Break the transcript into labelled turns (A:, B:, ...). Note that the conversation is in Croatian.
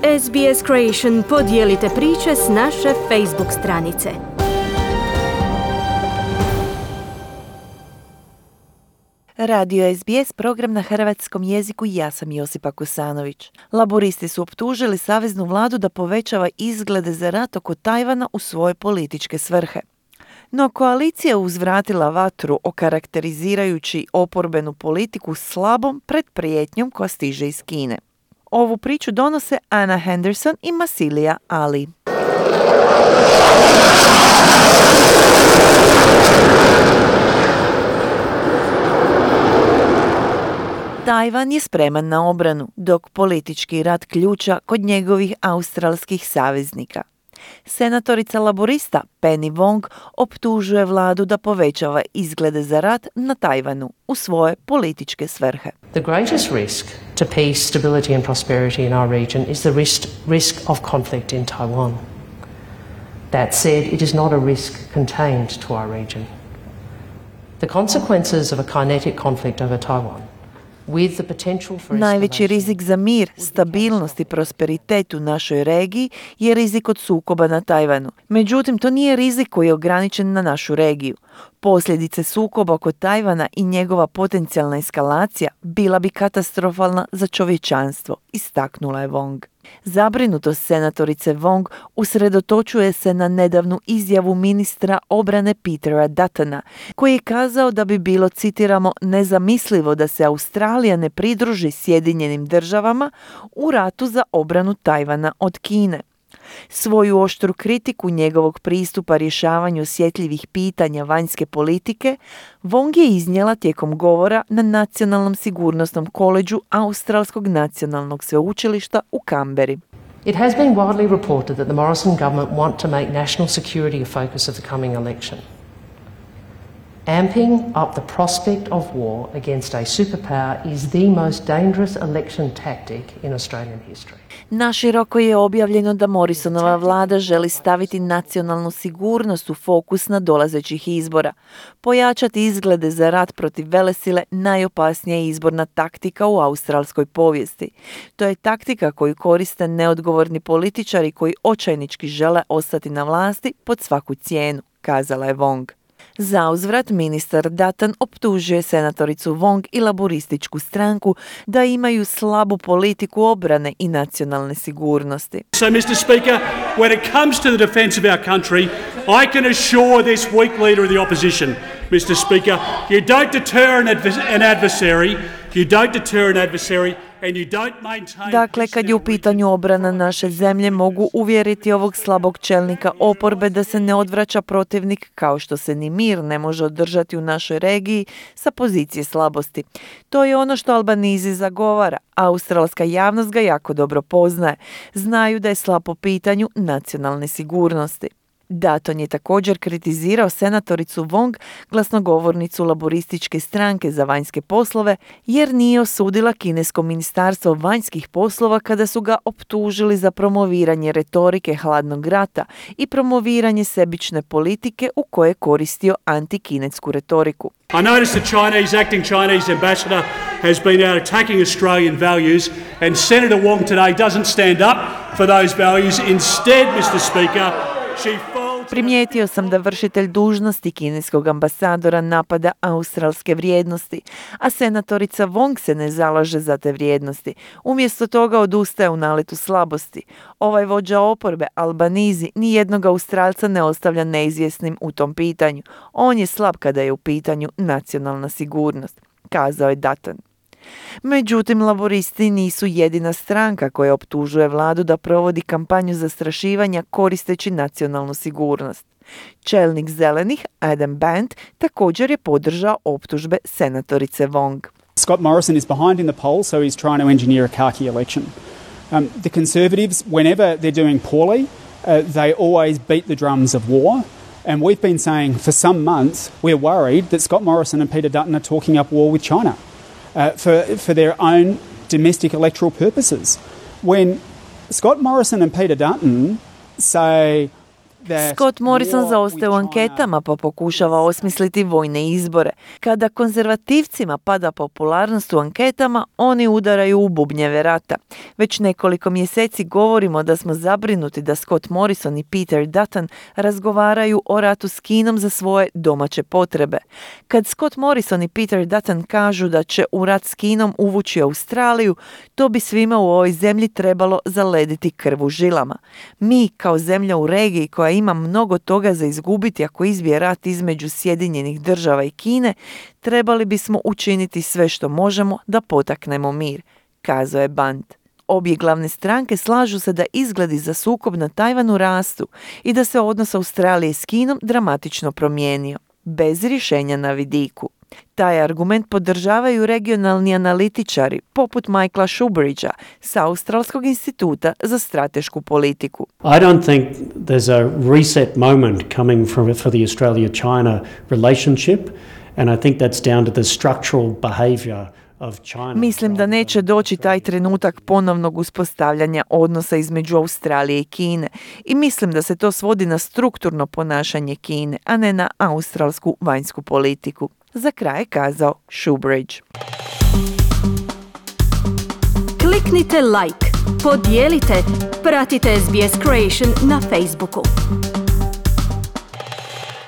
A: SBS Creation podijelite priče s naše Facebook stranice.
B: Radio SBS, program na hrvatskom jeziku, ja sam Josipa Kosanović. Laboristi su optužili saveznu vladu da povećava izglede za rat oko Tajvana u svoje političke svrhe. No koalicija uzvratila vatru okarakterizirajući oporbenu politiku slabom pred prijetnjom koja stiže iz Kine. Ovu priču donose Anna Henderson i Masilija Ali. Tajvan je spreman na obranu, dok politički rat ključa kod njegovih australskih saveznika. Senatorica laborista Penny Wong optužuje vladu da povećava izglede za rat na Tajvanu u svoje političke svrhe.
C: The greatest risk to peace, stability and prosperity in our region is the risk of conflict in Taiwan. That said, it is not a risk contained to our region. The consequences of a kinetic conflict over Taiwan.
B: Najveći rizik za mir, stabilnost i prosperitet u našoj regiji je rizik od sukoba na Tajvanu. Međutim, to nije rizik koji je ograničen na našu regiju. Posljedice sukoba oko Tajvana i njegova potencijalna eskalacija bila bi katastrofalna za čovječanstvo, istaknula je Wong. Zabrinutost senatorice Wong usredotočuje se na nedavnu izjavu ministra obrane Petera Duttona, koji je kazao da bi bilo, citiramo, nezamislivo da se Australija ne pridruži Sjedinjenim državama u ratu za obranu Tajvana od Kine. Svoju oštru kritiku njegovog pristupa rješavanju osjetljivih pitanja vanjske politike Wong je iznijela tijekom govora na Nacionalnom sigurnosnom koledžu Australskog nacionalnog sveučilišta u Kamberi.
C: It has been widely reported that the Morrison government want to make national security a focus of the coming election. Amping up the prospect of war against a superpower is the most dangerous election tactic in Australian history.
B: Naširoko je objavljeno da Morrisonova vlada želi staviti nacionalnu sigurnost u fokus na dolazećih izbora. Pojačati izglede za rat protiv velesile najopasnija je izborna taktika u australskoj povijesti. To je taktika koju koriste neodgovorni političari koji očajnički žele ostati na vlasti pod svaku cijenu, kazala je Wong. Zauzvrat, ministar Dutton optužuje senatoricu Wong i laborističku stranku da imaju slabu politiku obrane i nacionalne sigurnosti.
D: So, Mr. Speaker, when it comes to the defence of our country, I can assure this weak leader of the opposition, Mr. Speaker, you don't deter an adversary,
B: Dakle, kad je u pitanju obrana naše zemlje, mogu uvjeriti ovog slabog čelnika oporbe da se ne odvraća protivnik, kao što se ni mir ne može održati u našoj regiji sa pozicije slabosti. To je ono što Albanizi zagovara. Australska javnost ga jako dobro poznaje. Znaju da je slab po pitanju nacionalne sigurnosti. Dutton je također kritizirao senatoricu Wong, glasnogovornicu laborističke stranke za vanjske poslove, jer nije osudila kinesko ministarstvo vanjskih poslova kada su ga optužili za promoviranje retorike hladnog rata i promoviranje sebične politike u kojoj je koristio antikinetsku retoriku.
D: I noticed the acting Chinese ambassador has been out attacking Australian values, and Senator Wong today doesn't stand up for those values. Instead, Mr. Speaker,
B: Primijetio sam da vršitelj dužnosti kineskog ambasadora napada australske vrijednosti, a senatorica Wong se ne zalaže za te vrijednosti. Umjesto toga odustaje u naletu slabosti. Ovaj vođa oporbe, Albanizi, nijednog Australca ne ostavlja neizvjesnim u tom pitanju. On je slab kada je u pitanju nacionalna sigurnost, kazao je Dutton. Međutim, laboristi nisu jedina stranka koja optužuje vladu da provodi kampanju zastrašivanja koristeći nacionalnu sigurnost. Čelnik zelenih, Adam Bandt, također je podržao optužbe senatorice Wong.
E: Scott Morrison is behind in the polls, so he's trying to engineer a khaki election. The Conservatives, whenever they're doing poorly, they always beat the drums of war. And we've been saying for some months we're worried that Scott Morrison and Peter Dutton are talking up war with China. For their own domestic electoral purposes. When Scott Morrison and Peter Dutton say
B: Scott Morrison zaostaje u anketama pa pokušava osmisliti vojne izbore. Kada konzervativcima pada popularnost u anketama, oni udaraju u bubnjeve rata. Već nekoliko mjeseci govorimo da smo zabrinuti da Scott Morrison i Peter Dutton razgovaraju o ratu s Kinom za svoje domaće potrebe. Kad Scott Morrison i Peter Dutton kažu da će u rat s Kinom uvući Australiju, to bi svima u ovoj zemlji trebalo zalediti krv u žilama. Mi, kao zemlja u regiji koja ima mnogo toga za izgubiti ako izbije rat između Sjedinjenih Država i Kine, trebali bismo učiniti sve što možemo da potaknemo mir, kazao je Band. Obje glavne stranke slažu se da izgledi za sukob na Tajvanu rastu i da se odnos Australije s Kinom dramatično promijenio, bez rješenja na vidiku. Taj argument podržavaju regionalni analitičari poput Michaela Shoebridgea sa Australskog instituta za stratešku politiku.
F: I don't think there's a reset moment coming for the Australia-China relationship, and I think that's down to the structural behavior of China.
B: Mislim da neće doći taj trenutak ponovnog uspostavljanja odnosa između Australije i Kine i mislim da se to svodi na strukturno ponašanje Kine, a ne na australsku vanjsku politiku. Za kraj je kazao Shoebridge.
A: Kliknite like, podijelite, pratite SBS Creation na Facebooku.